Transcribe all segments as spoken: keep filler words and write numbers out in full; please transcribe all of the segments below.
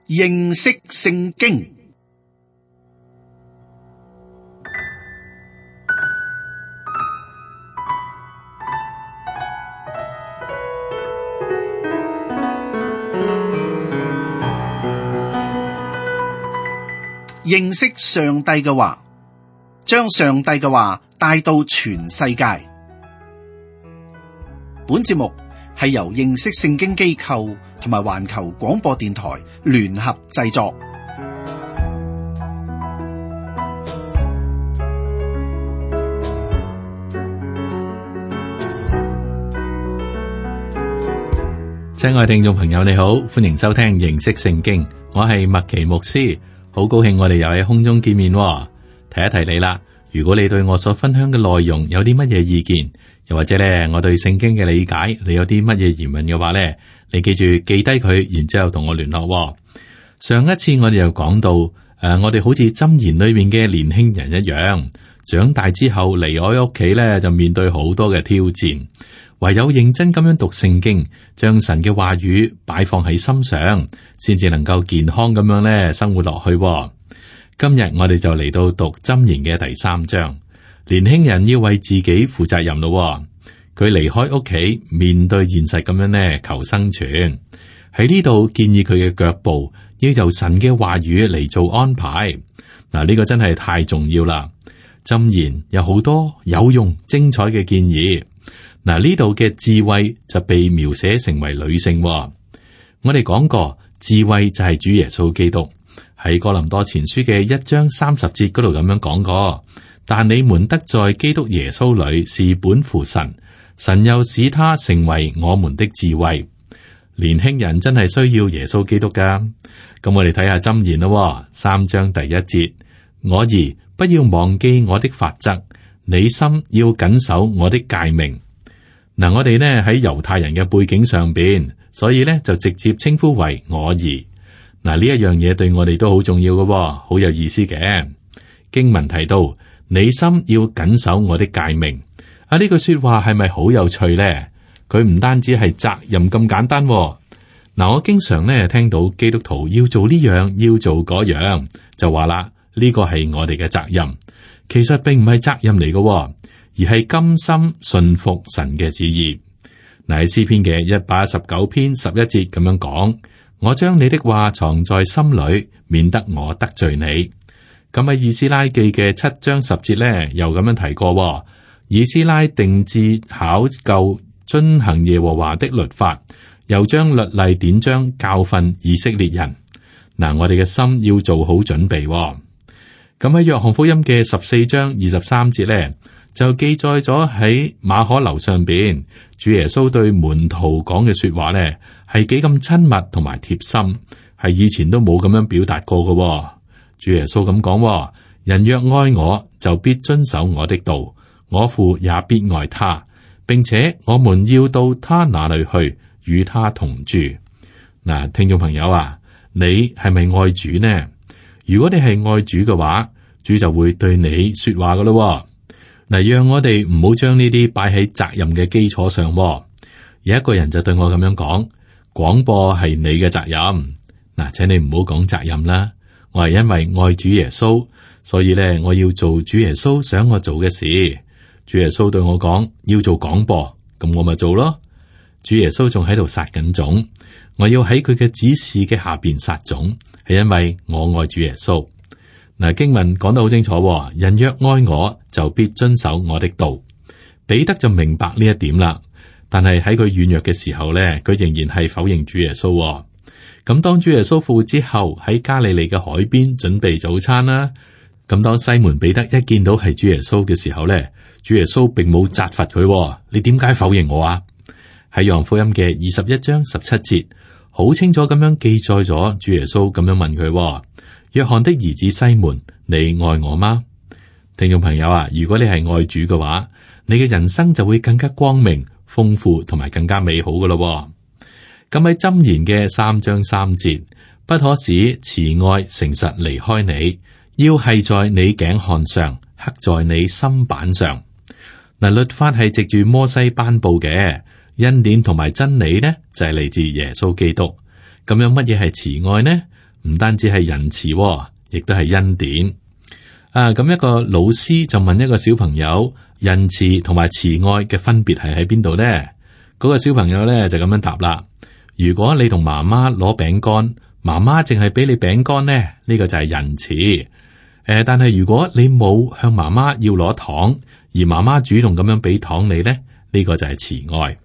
認識聖經。認識上帝嘅話，將上帝嘅話帶到全世界。本節目係由認識聖經機構同埋環球廣播電台聯合製作。親愛聽眾朋友，你好，歡迎收聽認識聖經，我係麥奇牧師。好高興我哋又喺空中見面喎。提一提你啦，如果你對我所分享嘅內容有啲乜嘢意見，又或者咧我對聖經嘅理解，你有啲乜嘢疑問嘅話咧，你記住記低佢，然之後同我聯絡喎。上一次我哋又講到，誒、呃，我哋好似箴言裏面嘅年輕人一樣，長大之後離開屋企咧，就面對好多嘅挑戰，唯有認真咁樣讀聖經，將神嘅話語擺放喺心上，先至能夠健康咁樣咧生活落去喎。今日我哋就嚟到讀箴言嘅第三章，年輕人要為自己負責任咯喎。佢離開屋企，面對現實咁樣咧求生存。喺呢度建議佢嘅腳步要由神嘅話語嚟做安排。嗱，呢個真係太重要啦。箴言有好多有用、精彩嘅建議。嗱，呢度嘅智慧就被描寫成為女性喎。我哋講過，智慧就係主耶穌基督，喺哥林多前書嘅一章三十節嗰度咁樣講過。但你們得在基督耶穌裏是本乎神，神又使他成為我們的智慧。年輕人真係需要耶穌基督噶。咁我哋睇下箴言咯，三章第一節，我兒不要忘記我的法則，你心要謹守我的誡命。嗱，我哋呢喺猶太人嘅背景上邊，所以呢就直接稱呼為我兒。嗱，呢一樣嘢對我哋都好重要嘅，好有意思嘅。經文提到，你心要謹守我的誡命。啊，呢句說話係咪好有趣呢？佢唔單止係責任咁簡單。嗱，我經常呢聽到基督徒要做呢樣，要做嗰樣，就話啦，呢個係我哋嘅責任。其實並唔係責任嚟嘅。而係甘心順服神嘅旨意。嗱，喺詩篇嘅一百一十九篇十一節咁樣講，我將你的話藏在心裏，免得我得罪你。咁喺以斯拉記嘅七章十節咧，又咁樣提過，以斯拉定志考究遵行耶和華的律法，又將律例典章教訓以色列人。嗱，我哋嘅心要做好準備。咁喺約翰福音嘅十四章二十三節咧，就記載咗喺馬可樓上邊，主耶穌對門徒講嘅說話咧，係幾咁親密同埋貼心，係以前都冇咁樣表達過嘅。主耶穌咁講：人若愛我，就必遵守我的道，我父也必愛他，並且我們要到他那裏去，與他同住。嗱，聽眾朋友啊，你係咪愛主呢？如果你係愛主嘅話，主就會對你說話噶咯。嗱，讓我哋唔好將呢啲擺喺責任嘅基礎上。有一個人就對我咁樣講：廣播係你嘅責任。嗱，請你唔好講責任啦。我係因為愛主耶穌，所以咧我要做主耶穌想我做嘅事。主耶穌對我講要做廣播，咁我咪做咯。主耶穌仲喺度撒緊種，我要喺佢嘅指示嘅下邊撒種，係因為我愛主耶穌。嗱，經文講得好清楚，人若愛我，就必遵守我的道。彼得就明白呢一點啦，但係喺佢軟弱嘅時候咧，佢仍然係否認主耶穌。咁當主耶穌復活之後，喺加利利嘅海邊準備早餐啦。咁當西門彼得一見到係主耶穌嘅時候咧，主耶穌並冇責罰佢，你點解否認我啊？喺約翰福音嘅二十一章十七節，好清楚咁樣記載咗主耶穌咁樣問佢：約翰的兒子西門，你愛我嗎？聽眾朋友啊，如果你係愛主嘅話，你嘅人生就會更加光明、豐富同埋更加美好噶咯。咁喺箴言嘅三章三節，不可使慈愛誠實離開你，要繫在你頸項上，刻在你心板上。嗱，律法係藉住摩西頒布嘅，恩典同埋真理呢，就係嚟自耶穌基督。咁樣乜嘢係慈愛呢？唔單止係仁慈，亦都係恩典。啊，咁一個老師就問一個小朋友，仁慈同埋慈愛嘅分別係喺邊度呢？嗰個小朋友咧就咁樣答啦：如果你同媽媽攞餅乾，媽媽淨係俾你餅乾呢，呢個就係仁慈。誒，但係如果你冇向媽媽要攞糖，而媽媽主動咁樣俾糖你呢，呢個就係慈愛。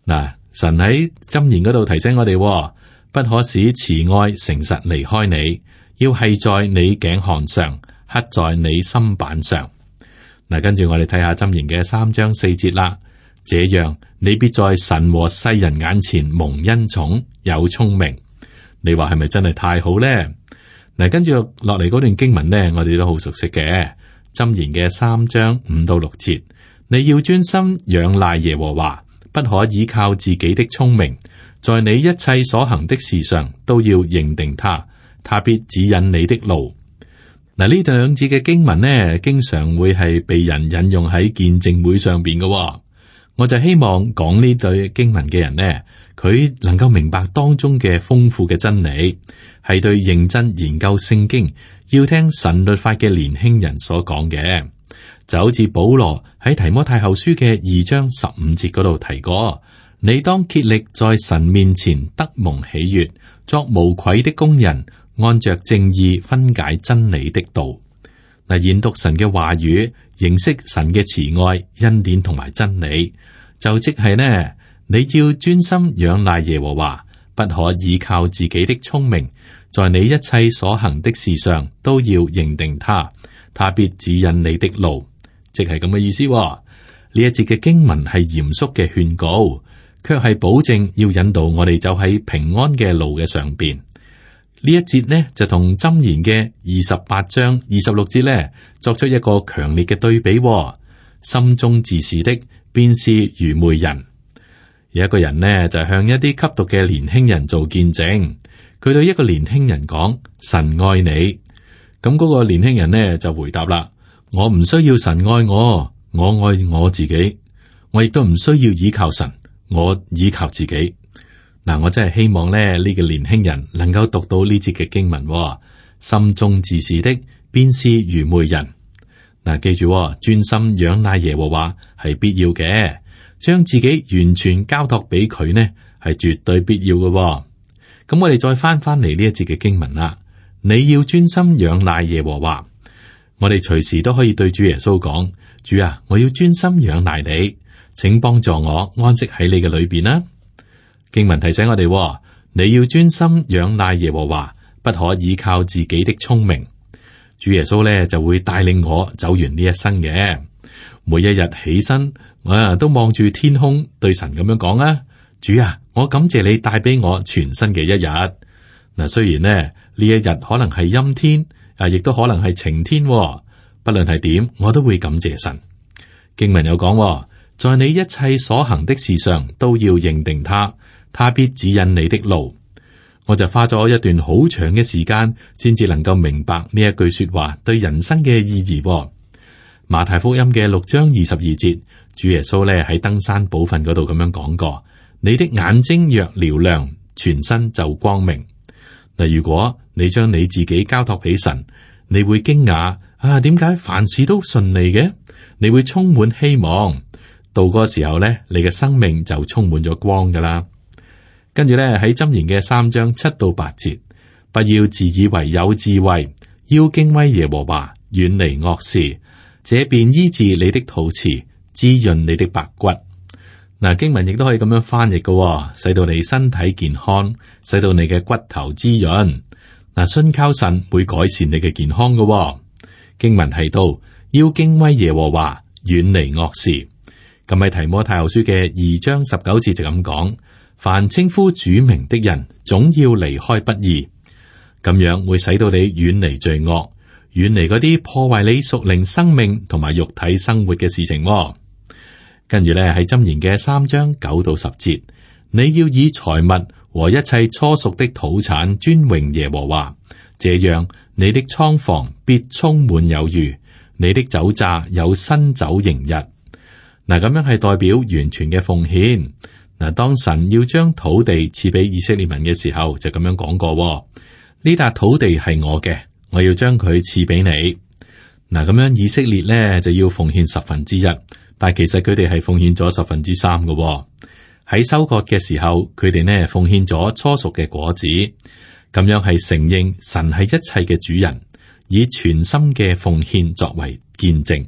嗱，神喺箴言嗰度提醒我哋，不可使慈愛誠實離開你，要繫在你頸項上，刻在你心板上。嗱，跟住我哋睇下箴言嘅三章四節啦。這樣你必在神和世人眼前蒙恩寵，有聰明。你話係咪真係太好呢？嗱，跟住落嚟嗰段經文呢，我哋都好熟悉嘅。箴言嘅三章五到六節，你要專心仰賴耶和華，不可依靠自己的聰明，在你一切所行的事上都要認定他，他必指引你的路。嗱，呢兩節嘅經文呢，經常會係被人引用喺見證會上邊嘅。我就希望講呢對經文嘅人呢，佢能夠明白當中嘅豐富嘅真理，係對認真研究聖經、要聽神律法嘅年輕人所講嘅。就好似保羅喺提摩太後書嘅二章十五節嗰度提過，你當竭力在神面前得蒙喜悅，作無愧的工人，按着正義分解真理的道。嗱，研讀神嘅話語，認識神嘅慈愛、恩典同埋真理，就即係呢，你要專心仰賴耶和華，不可依靠自己的聰明，在你一切所行的事上都要認定他，他必指引你的路。即係咁嘅意思。呢一節嘅經文係嚴肅嘅勸告，卻係保證要引導我哋走喺平安嘅路嘅上邊。呢一節呢就同箴言嘅二十八章二十六節呢作出一個強烈嘅對比。心中自是的，便是愚昧人。有一個人呢就向一啲吸毒嘅年輕人做見證，佢對一個年輕人講：神愛你。咁嗰個年輕人呢就回答啦：我唔需要神愛我，我愛我自己，我亦都唔需要依靠神，我依靠自己。嗱，我真係希望咧，呢、這個年輕人能夠讀到呢節嘅經文、哦。心中自是的，便是愚昧人。嗱，記住、哦，專心仰賴耶和華係必要嘅，將自己完全交託俾佢呢，係絕對必要嘅、哦。咁我哋再翻翻嚟呢一節嘅經文啦。你要專心仰賴耶和華，我哋隨時都可以對主耶穌講：主啊，我要專心仰賴你，請幫助我安息喺你嘅裏邊啦。經文提醒我哋，你要專心仰賴耶和華，不可依靠自己的聰明。主耶穌咧就會帶領我走完呢一生嘅。每一日起身，我啊都望住天空，對神咁樣講啊：主啊，我感謝你帶俾我全新嘅一日。嗱，雖然呢呢一日可能係陰天，啊，亦都可能係晴天，不論係點，我都會感謝神。經文有講，在你一切所行的事上都要認定他。他必指引你的路。我就花咗一段好長嘅時間，先至能夠明白呢一句說話對人生嘅意義。馬太福音嘅六章二十二節，主耶穌咧喺登山寶訓嗰度咁樣講過：你的眼睛若瞭亮，全身就光明。嗱，如果你將你自己交託俾神，你會驚訝啊，點解凡事都順利嘅？你會充滿希望，到嗰個時候咧，你嘅生命就充滿咗光噶啦。跟住咧喺箴言嘅三章七到八節，不要自以為有智慧，要敬畏耶和華，遠離惡事，這便醫治你的肚臍，滋潤你的白骨。嗱，經文亦都可以咁樣翻譯嘅，使到你身體健康，使到你嘅骨頭滋潤。嗱，信靠神會改善你嘅健康嘅。經文提到要敬畏耶和華，遠離惡事。咁喺提摩太後書嘅二章十九節就咁講。凡稱呼主名的人，總要離開不義，咁樣會使到你遠離罪惡，遠離嗰啲破壞你屬靈生命同埋肉體生活嘅事情。跟住咧喺箴言嘅三章九到十節，你要以財物和一切初熟的土產尊榮耶和華，這樣你的倉房必充滿有餘，你的酒榨有新酒盈溢。嗱，咁樣係代表完全嘅奉獻。嗱，當神要將土地賜俾以色列民嘅時候，就咁樣講過：呢笪土地係我嘅，我要將佢賜俾你。嗱，咁樣以色列咧就要奉獻十分之一，但係其實佢哋係奉獻咗十分之三嘅。喺收割嘅時候，佢哋呢奉獻咗初熟嘅果子，咁樣係承認神係一切嘅主人，以全心嘅奉獻作為見證。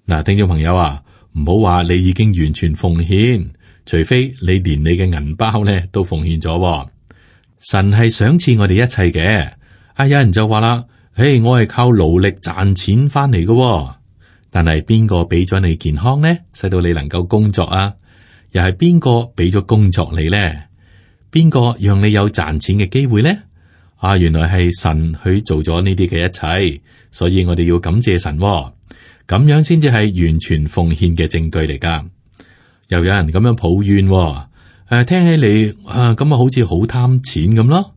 嗱，聽眾朋友啊，唔好話你已經完全奉獻，除非你連你嘅銀包咧都奉獻咗。神係賞賜我哋一切嘅。啊，有人就話啦，嘿，我係靠勞力賺錢翻嚟嘅，但係邊個俾咗你健康呢？使到你能夠工作啊？又係邊個俾咗工作你呢？邊個讓你有賺錢嘅機會呢？啊，原來係神去做咗呢啲嘅一切，所以我哋要感謝神喎，咁樣先至係完全奉獻嘅證據嚟噶。又有人咁樣抱怨喎，誒、啊，聽起嚟啊，咁啊好似好貪錢咁咯。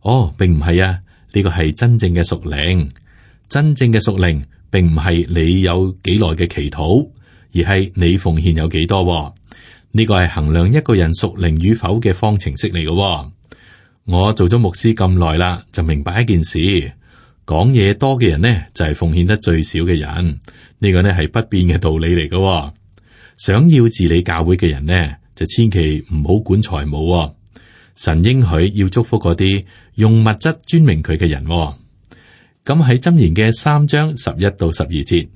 哦，並唔係啊，呢個係真正嘅屬靈，真正嘅屬靈，並唔係你有幾耐嘅祈禱，而係你奉獻有幾多喎。呢個係衡量一個人屬靈與否嘅方程式嚟嘅喎。我做咗牧師咁耐啦，就明白一件事：講嘢多嘅人呢，就係奉獻得最少嘅人。呢個呢係不變嘅道理嚟嘅喎。想要治理教會嘅人呢，就千祈唔好管財務喎。神應許要祝福嗰啲用物質尊明佢嘅人喎。咁喺箴言嘅三章十一到十二節，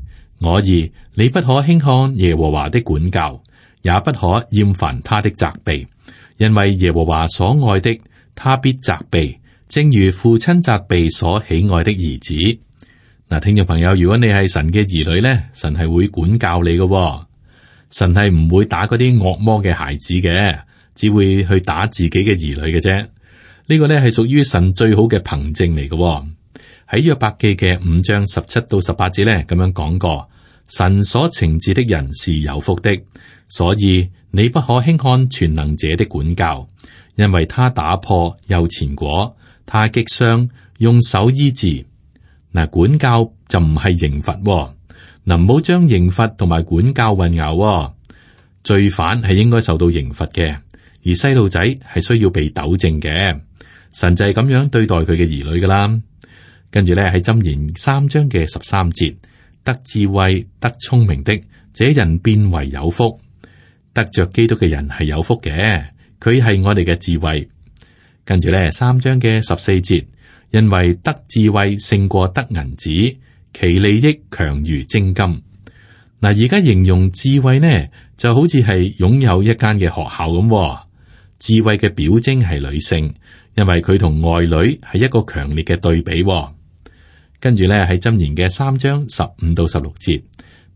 我兒，你不可輕看耶和華的管教，也不可厭煩他的責備，因為耶和華所愛的，他必責備，正如父親責備所喜愛的兒子。嗱，聽眾朋友，如果你係神嘅兒女咧，神係會管教你嘅喎。神係唔會打嗰啲惡魔嘅孩子嘅，只會去打自己嘅兒女嘅啫。呢個咧係屬於神最好嘅憑證嚟嘅喎。喺約伯記嘅五章十七到十八節咧，咁樣講過，神所懲治的人是有福的。所以你不可輕看全能者的管教，因為他打破又纏裹，他擊傷用手醫治。嗱，管教就唔係刑罰，嗱，唔好將刑罰同埋管教混淆。罪犯係應該受到刑罰嘅，而細路仔係需要被糾正嘅。神就係咁樣對待佢嘅兒女噶啦。跟住咧喺箴言三章嘅十三節，得智慧得聰明的，這人變為有福。得着基督嘅人係有福嘅，佢係我哋嘅智慧。跟住咧，三章嘅十四節，因為得智慧勝過得銀子，其利益強如精金。嗱，而家形容智慧呢，就好似係擁有一間嘅學校咁。智慧嘅表徵係女性，因為佢同外女係一個強烈嘅對比。跟住咧喺箴言嘅三章十五到十六節，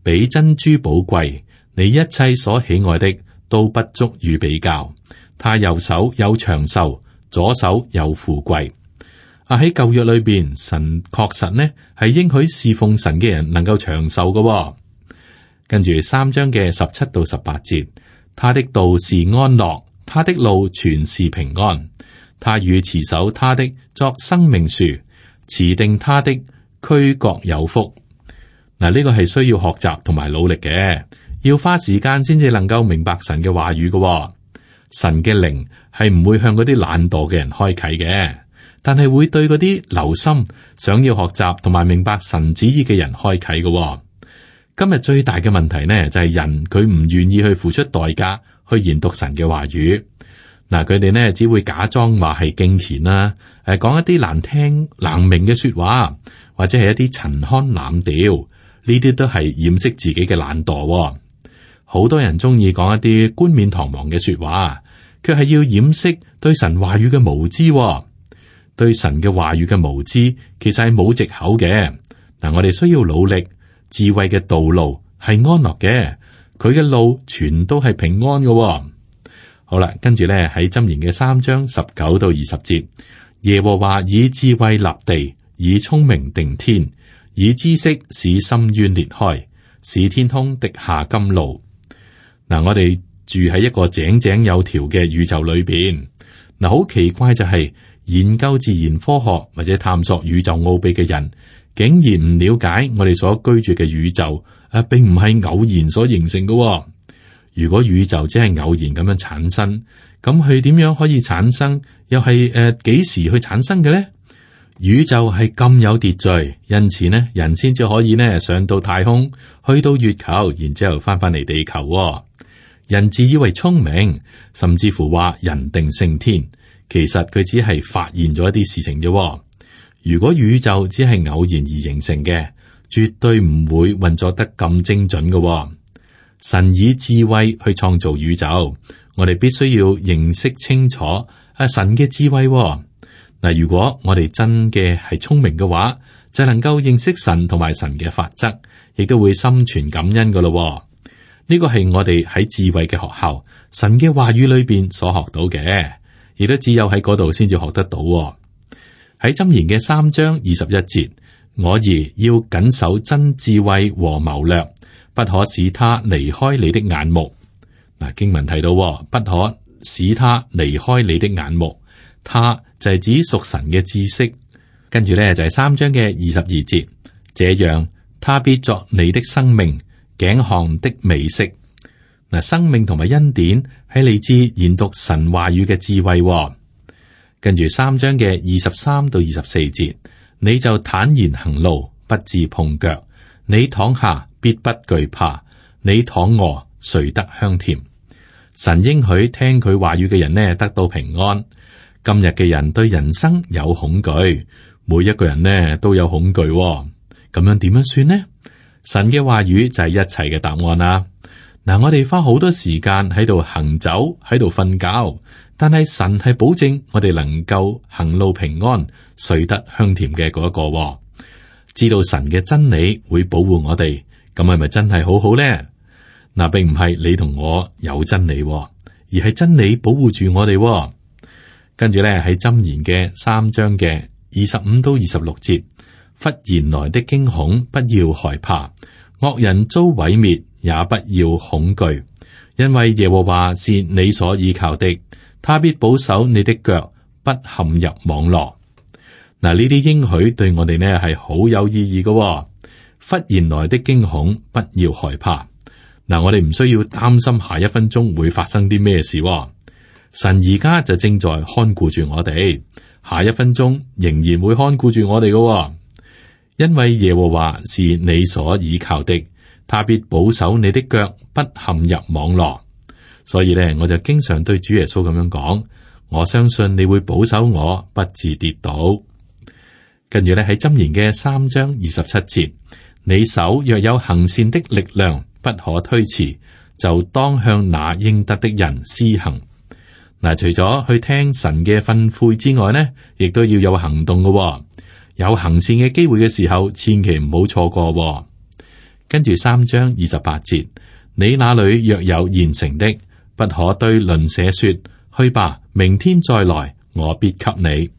比珍珠寶貴。你一切所喜愛的都不足與比較，他右手有長壽，左手有富貴。啊，喺舊約裏邊，神確實呢係應許侍奉神嘅人能夠長壽嘅。跟住三章嘅十七到十八節，他的道是安樂，他的路全是平安。他與持守他的作生命樹，持定他的俱各有福。嗱，呢個係需要學習同埋努力嘅。要花時間先至能夠明白神嘅話語嘅。哦，神嘅靈係唔會向嗰啲懶惰嘅人開啟嘅，但係會對嗰啲留心想要學習同埋明白神旨意嘅人開啟嘅。哦，今日最大嘅問題呢，就係、是、人佢唔願意去付出代價去研讀神嘅話語。嗱，佢哋呢只會假裝話係敬虔啦，誒，講一啲難聽難明嘅說話，或者係一啲陳腔濫調，呢啲都係掩飾自己嘅懶惰。哦。好多人中意講一啲冠冕堂皇嘅說話，卻係要掩飾對神話語嘅無知。對神嘅話語嘅無知，其實係冇藉口嘅。嗱，我哋需要努力，智慧嘅道路係安樂嘅，佢嘅路全都係平安嘅。好啦，跟住咧喺箴言嘅三章十九到二十節，耶和華以智慧立地，以聰明定天，以知識使深淵裂開，使天空滴下甘露。嗱，我哋住喺一個井井有條嘅宇宙裏邊。嗱，好奇怪就係研究自然科學或者探索宇宙奧秘嘅人，竟然唔了解我哋所居住嘅宇宙啊，並唔係偶然所形成嘅。如果宇宙只係偶然咁樣產生，咁佢點樣可以產生？又係誒幾時去產生嘅咧？宇宙係咁有秩序，因此呢，人先至可以呢上到太空，去到月球，然之後翻返嚟地球喎。人自以為聰明，甚至乎話人定勝天，其實佢只係發現咗一啲事情啫。如果宇宙只係偶然而形成嘅，絕對唔會運作得咁精準嘅喎。神以智慧去創造宇宙，我哋必須要認識清楚啊神嘅智慧喎。嗱，如果我哋真嘅係聰明嘅話，就能夠認識神同埋神嘅法則，亦都會心存感恩噶咯。呢個係我哋喺智慧嘅學校，神嘅話語裏邊所學到嘅，亦都只有喺嗰度先至學得到。喺箴言嘅三章二十一節，我兒要謹守真智慧和謀略，不可使他離開你的眼目。嗱，經文提到，不可使他離開你的眼目，他就係指屬神嘅知識。跟住咧就係三章嘅二十二節，這樣他必作你的生命頸項的美色。嗱，生命同埋恩典係嚟自研讀神話語嘅智慧。跟住三章嘅二十三到二十四節，你就坦然行路，不致碰腳。你躺下必不懼怕，你躺臥睡得香甜。神應許聽佢話語嘅人呢得到平安。今日嘅人對人生有恐懼，每一個人呢都有恐懼。咁樣點樣算呢？神嘅話語就係一切嘅答案啦。嗱，我哋花好多時間喺度行走，喺度瞓覺，但係神係保證我哋能夠行路平安，睡得香甜嘅嗰一個。知道神嘅真理會保護我哋，咁係咪真係好好呢？嗱，並唔係你同我有真理，而係真理保護住我哋。跟住咧喺箴言嘅三章嘅二十五到二十六節，忽然來的驚恐不要害怕，惡人遭毀滅也不要恐懼，因為耶和華是你所依靠的，他必保守你的腳不陷入網羅。嗱，呢啲應許對我哋呢係好有意義嘅。忽然來的驚恐不要害怕。嗱，我哋唔需要擔心下一分鐘會發生啲咩事。神而家就正在看顧住我哋，下一分鐘仍然會看顧住我哋嘅，因為耶和華是你所倚靠的，他必保守你的腳不陷入網羅。所以咧，我就經常對主耶穌咁樣講，我相信你會保守我不致跌倒。跟住咧喺箴言嘅三章二十七節，你手若有行善的力量，不可推辭，就當向那應得的人施行。嗱，除咗去聽神嘅訓誨之外呢，亦都要有行動嘅。有行善嘅機會嘅時候，千祈唔好錯過。跟住三章二十八節，你那裏若有現成的，不可對鄰舍說，去吧，明天再來，我必給你。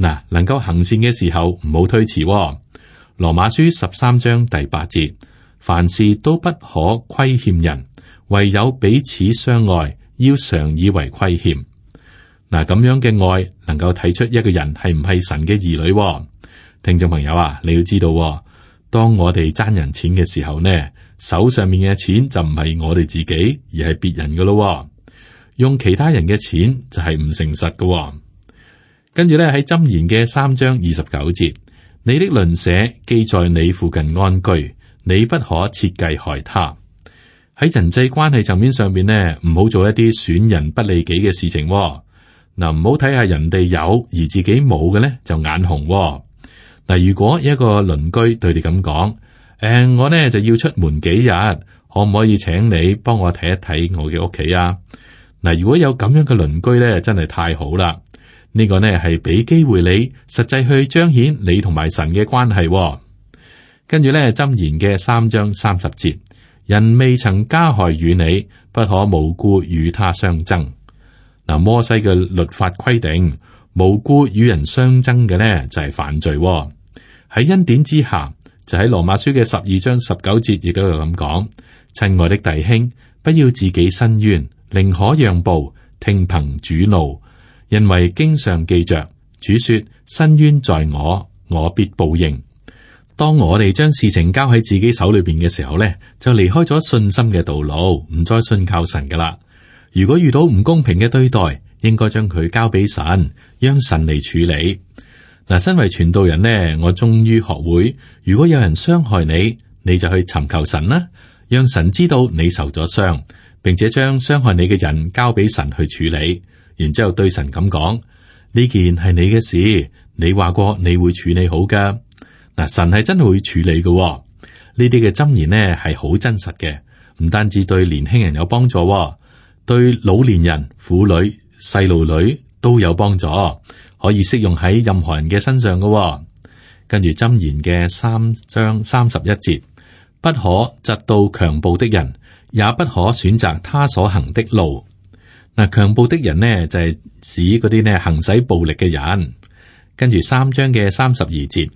嗱，能夠行善嘅時候唔好推辭。羅馬書十三章第八節，凡事都不可虧欠人，唯有彼此相愛，要常以為虧欠。嗱，咁樣嘅愛能夠睇出一個人係唔係神嘅兒女。聽眾朋友啊，你要知道，當我哋爭人錢嘅時候呢，手上面嘅錢就唔係我哋自己，而係別人噶咯。用其他人嘅錢就係唔誠實噶。跟住咧喺箴言嘅三章二十九節，你的鄰舍既在你附近安居，你不可設計害他。喺人際關係層面上邊呢，唔好做一啲損人不利己嘅事情。嗱，唔好睇下人哋有而自己冇嘅咧就眼紅。嗱，如果一個鄰居對你咁講，誒、呃，我呢就要出門幾日，可唔可以請你幫我睇一睇我嘅屋企啊？嗱，如果有咁樣嘅鄰居咧，真係太好啦。呢個呢係俾機會你實際去彰顯你同埋神嘅關係。跟住咧箴言嘅三章三十節，人未曾加害於你，不可無故與他相爭。嗱，摩西嘅律法規定，無故與人相爭嘅呢就係犯罪。喺恩典之下，就喺羅馬書嘅十二章十九節亦都有咁講：親愛的弟兄，不要自己申冤，寧可讓步，聽憑主怒。因為經上記着，主說：申冤在我，我必報應。當我哋將事情交喺自己手裏邊嘅時候呢，就離開咗信心嘅道路，唔再信靠神噶啦。如果遇到唔公平嘅對待，應該將佢交俾神，讓神嚟處理。嗱，身為傳道人呢，我終於學會，如果有人傷害你，你就去尋求神啦，讓神知道你受咗傷，並且將傷害你嘅人交俾神去處理，然之後對神咁講：呢件係你嘅事，你話過你會處理好噶。嗱，神係真係會處理嘅。呢啲嘅箴言呢係好真實嘅，唔單止對年輕人有幫助，對老年人、婦女、細路女都有幫助，可以適用喺任何人嘅身上嘅。跟住箴言嘅三章三十一節，不可嫉妒強暴的人，也不可選擇他所行的路。嗱，強暴的人呢就係指嗰啲呢行使暴力嘅人。跟住三章嘅三十二節，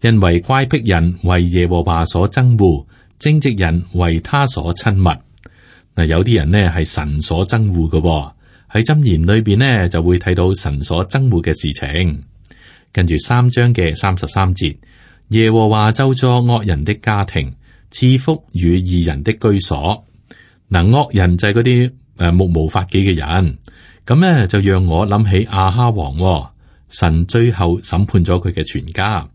因為乖僻人為耶和華所憎惡，正直人為他所親密。嗱，有啲人呢係神所憎惡嘅，喺箴言裏邊呢就會睇到神所憎惡嘅事情。跟住三章嘅三十三節，耶和華咒詛惡人的家庭，賜福與義人的居所。嗱，惡人就係嗰啲誒目無法紀嘅人，咁咧就讓我諗起亞哈王，神最後審判咗佢嘅全家。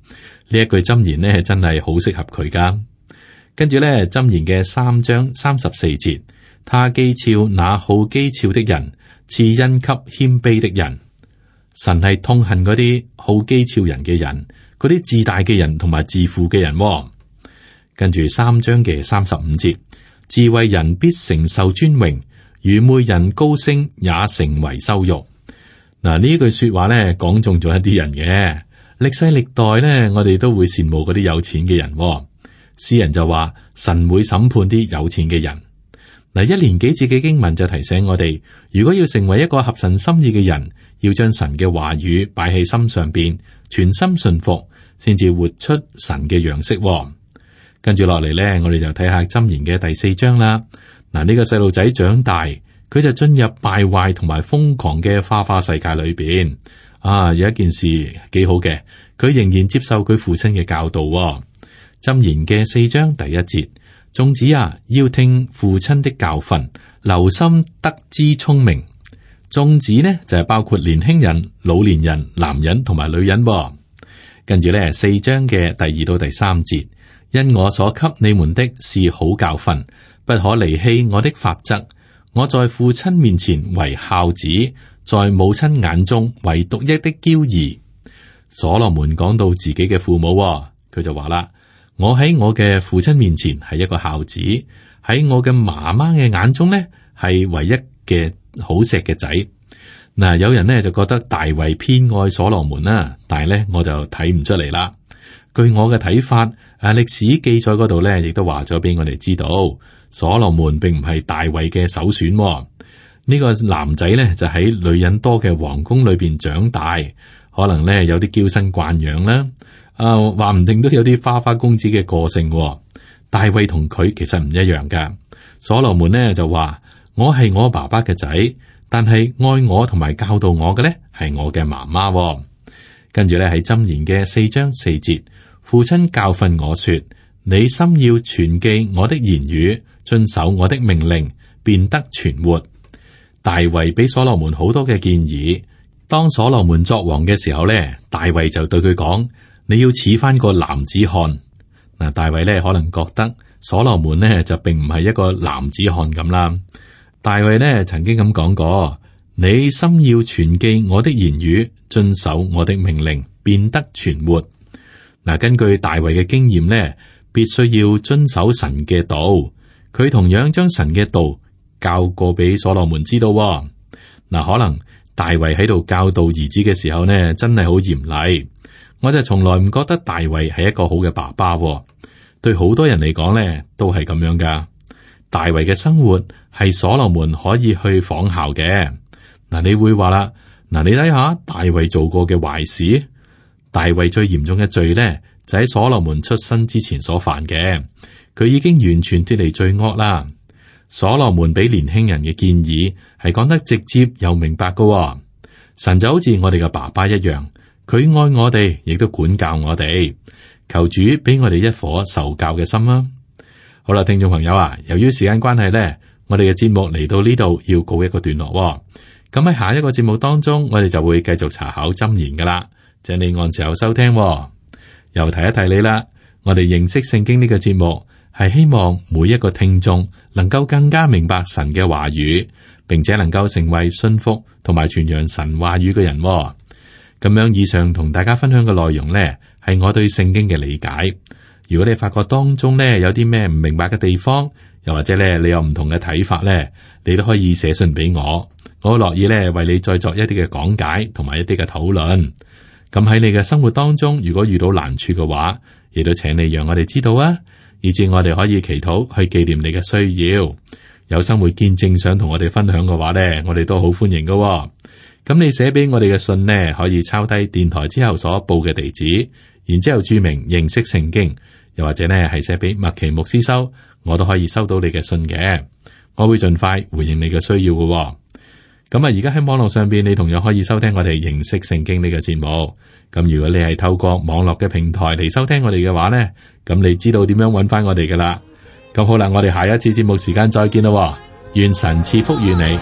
呢一句箴言呢真係好適合佢噶。跟住咧箴言嘅三章三十四節，他譏誚那好譏誚的人，賜恩給謙卑的人。神係痛恨嗰啲好譏誚人嘅人，嗰啲自大嘅人同埋自負嘅人。跟住三章嘅三十五節，智慧人必承受尊榮，愚昧人高升也成為羞辱。嗱，呢句說話咧講中咗一啲人嘅，歷世歷代咧，我哋都會羨慕嗰啲有錢嘅人。詩人就話神會審判啲有錢嘅人。嗱，一連幾節嘅經文就提醒我哋，如果要成為一個合神心意嘅人，要將神嘅話語擺喺心上邊，全心信服，先至活出神嘅樣式。跟住落嚟咧，我哋就睇下箴言嘅第四章啦。嗱，呢個細路仔長大，佢就進入敗壞同埋瘋狂嘅花花世界裏邊。啊，有一件事幾好嘅，佢仍然接受佢父親嘅教導。箴言嘅四章第一節，眾子啊，要聽父親的教訓，留心得知聰明。眾子呢就係包括年輕人、老年人、男人同埋女人。跟住咧四章嘅第二到第三節，因我所給你們的是好教訓，不可離棄我的法則。我在父親面前為孝子，在母親眼中為獨一的嬌兒。所羅門講到自己嘅父母，佢就話啦：我喺我嘅父親面前係一個孝子，喺我嘅媽媽嘅眼中呢係唯一嘅好錫嘅仔。嗱，有人呢就覺得大衛偏愛所羅門啦，但係咧我就睇唔出嚟啦。據我嘅睇法，啊歷史記載嗰度咧亦都話咗俾我哋知道，所羅門並唔係大衛嘅首選。呢個男仔咧就喺女人多嘅皇宮裏邊長大，可能咧有啲嬌生慣養啦。啊，話唔定都有啲花花公子嘅個性。大衛同佢其實唔一樣噶。所羅門呢就話：我係我爸爸嘅仔，但係愛我同埋教導我嘅咧係我嘅媽媽。跟住咧喺箴言嘅四章四節，父親教訓我說：你心要存記我的言語，遵守我的命令，便得存活。大衛俾所羅門好多嘅建議。當所羅門作王嘅時候咧，大衛就對佢講：你要似翻個男子漢。嗱，大衛咧可能覺得所羅門呢就並唔係一個男子漢咁啦。大衛呢曾經咁講過：你心要存記我的言語，遵守我的命令，便得存活。嗱，根據大衛嘅經驗呢，必須要遵守神嘅道。佢同樣將神嘅道教過俾所羅門知道。嗱，可能大衛喺度教導兒子嘅時候呢，真係好嚴厲。我就從來唔覺得大衛係一個好嘅爸爸。對好多人嚟講呢，都係咁樣噶。大衛嘅生活係所羅門可以去仿效嘅。嗱，你會話啦，嗱，你睇下大衛做過嘅壞事。大衛最嚴重嘅罪呢，就喺所羅門出生之前所犯嘅。佢已經完全脫離罪惡啦。所羅門俾年輕人嘅建議係講得直接又明白噶。神就好似我哋嘅爸爸一樣，佢愛我哋，亦都管教我哋。求主俾我哋一顆受教嘅心啦。好啦，聽眾朋友啊，由於時間關係呢，我哋嘅節目嚟到呢度要告一個段落。咁喺下一個節目當中，我哋就會繼續查考箴言噶啦。請你按時候收聽喎。又提一提你啦，我哋認識聖經呢個節目係希望每一個聽眾能夠更加明白神嘅話語，並且能夠成為信服同埋傳揚神話語嘅人喎。咁樣以上同大家分享嘅內容呢，係我對聖經嘅理解。如果你發覺當中呢有啲咩唔明白嘅地方，又或者咧你有唔同嘅睇法呢，你都可以寫信俾我，我好樂意咧為你再作一啲嘅講解同埋一啲嘅討論。咁喺你嘅生活當中，如果遇到難處嘅話，亦都請你讓我哋知道啊，以至我哋可以祈禱去紀念你嘅需要。有生活見證想同我哋分享嘅話呢，我哋都好歡迎㗎喎。咁你寫俾我哋嘅信呢，可以抄低電台之後所報嘅地址，然之後注明認識聖經，又或者呢係寫俾麥奇牧師收，我都可以收到你嘅信嘅。我會盡快回應你嘅需要㗎喎。咁啊，而家喺網絡上邊，你同樣可以收聽我哋認識聖經呢個節目。咁如果你係透過網絡嘅平台嚟收聽我哋嘅話呢，咁你知道點樣揾翻我哋噶啦。咁好啦，我哋下一次節目時間再見咯。願神賜福於你。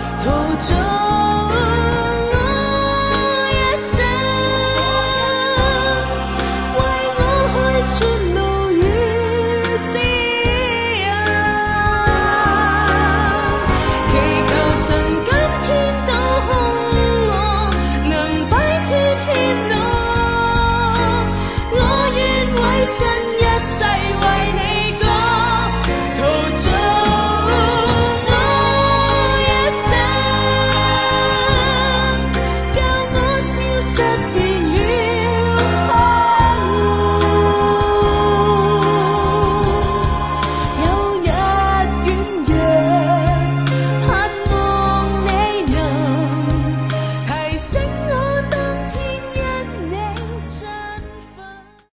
神